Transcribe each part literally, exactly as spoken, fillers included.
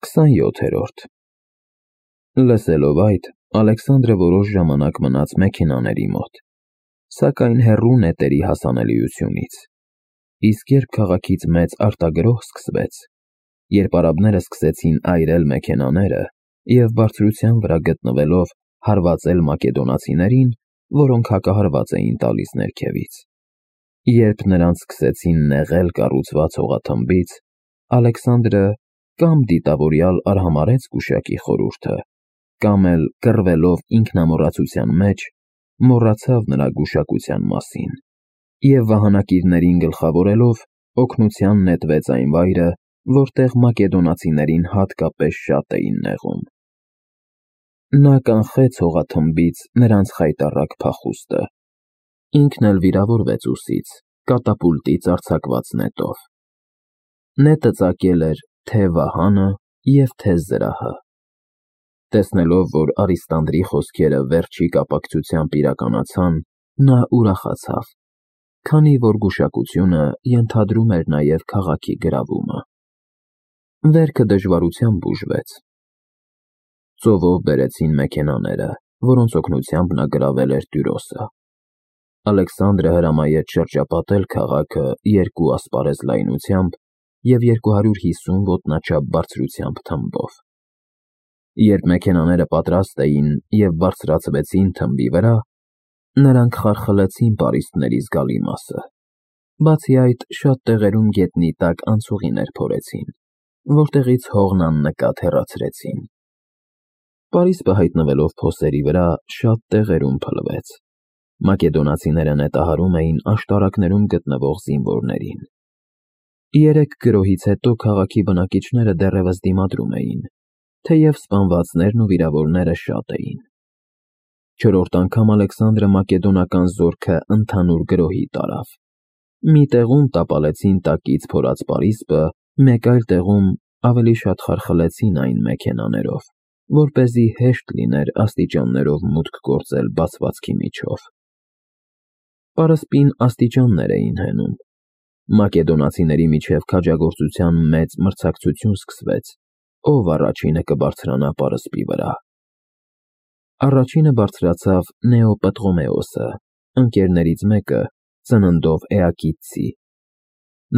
քսանյոթերորդ Լսելով այդ, Ալեքսանդրը որոշ ժամանակ մնաց մեքենաների մոտ, սակայն հեռու նետերի հասանելիությունից, իսկ երբ քաղաքից մեծ արտագրոհ սկսվեց, երբ արաբները սկսեցին այրել մեքենաները և բարձրության վրա գտնվելով հարվածել մակեդոնացիներին, որոնք հակահարված էին տալիս ներքևից, երբ նրանց սկսեցին նեղել կառուցված հողաթմբից, Ալեքսանդրը կամ դիտավորյալ արհամարհեց գուշակի խորհուրդը, կամ էլ կռվելով ինքնամոռացության մեջ, մոռացավ նրա գուշակության մասին և վահանակիրներին գլխավորելով օգնության նետվեց այն վայրը, որտեղ մակեդոնացիներին հատկապես շատ էին նեղում։ Նա կանխեց հողաթմբից նրանց խայտառակ փախուստը, ինքն էլ վիրավորվեց ուսից կատապուլտից արձակված նետով։ Նետը ծակել էր թե՛ Վահանը և թե՛ զրահը։ Տեսնելով, որ Արիստանդրի խոսքերը վերջի կապակցությամբ իրականացան, նա ուրախացավ, քանի որ գուշակությունը ենթադրում էր նաև քաղաքի գրավումը։ Վերքը դժվարությամբ ուժվեց։ Ծովով բերեցին մեքենաները, որոնց օգնությամբ նա գրավել էր Տյուրոսը։ Ալեքսանդրը հրամայեց շրջապատել քաղաքը երկու ասպարեզ լայնությամբ և երկու հարյուր հիսուն ոտնաչափ բարձրությամբ թմբով։ Երբ մեքենաները պատրաստ էին և բարձրացվեցին թմբի վրա, նրանք խարխլեցին պարիսպների զգալի մասը, բացի այդ, շատ տեղերում գետնի տակ անցուղիներ փորեցին, որտեղից հողն աննկատ հեռացրեցին։ Պարիսպը հայտնվելով փոսերի վրա, շատ տեղերում փլվեց։ Մակեդոնացիները նետահարում էին աշտարակներում գտնվող զինվորներին։ Երեք գրոհից հետո քաղաքի բնակիչները դեռևս դիմադրում էին, թեև սպանվածներն ու վիրավորները շատ էին։ Չորրորդ անգամ Ալեքսանդրը մակեդոնական զորքը ընդհանուր գրոհի տարավ։ Մի տեղում տապալեցին տակից փորած պարիսպը, մեկ այլ տեղում ավելի շատ խարխլեցին այն մեքենաներով, որպեսզի հեշտ լիներ աստիճաններով մուտք գործել բացվածքի միջով։ Պարսպին աստիճաններ էին հենում։ Մակեդոնացիների միջև քաջագործության մեծ մրցակցություն սկսվեց, ով առաջինը կբարձրանա պարսպի վրա։ Առաջինը բարձրացավ Նեոպտղոմեոսը, ընկերներից մեկը, ծննդով Էակիցցի։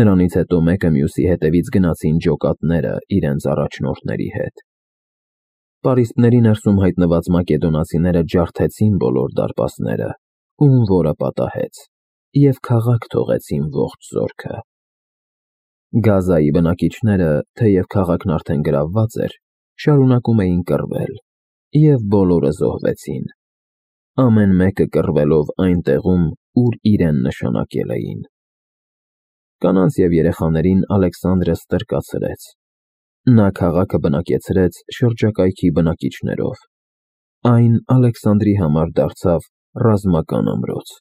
Նրանից հետո մեկը մյուսի հետևից գնացին ջոկատները իրենց առաջնորդների հետ։ Պարիսպների ներսում հայտնված մակեդոնացիները ջարդեցին բոլոր դարպասները, ում որը պատահեց, և քաղաք թողեցին ողջ զորքը։ Գազայի բնակիչները, թեև քաղաքն արդեն գրավված էր, շարունակում էին կռվել, և բոլորը զոհվեցին, ամեն մեկը կռվելով այն տեղում, ուր իրեն նշանակել էին։ Կանանց և երեխաներին Ալեքսանդրը ստրկացրեց։ Նա քաղաքը բնակեցրեց շրջակայքի բնակիչներով։ Այն Ալեքսանդրի համար դարձավ ռազմական ամրոց։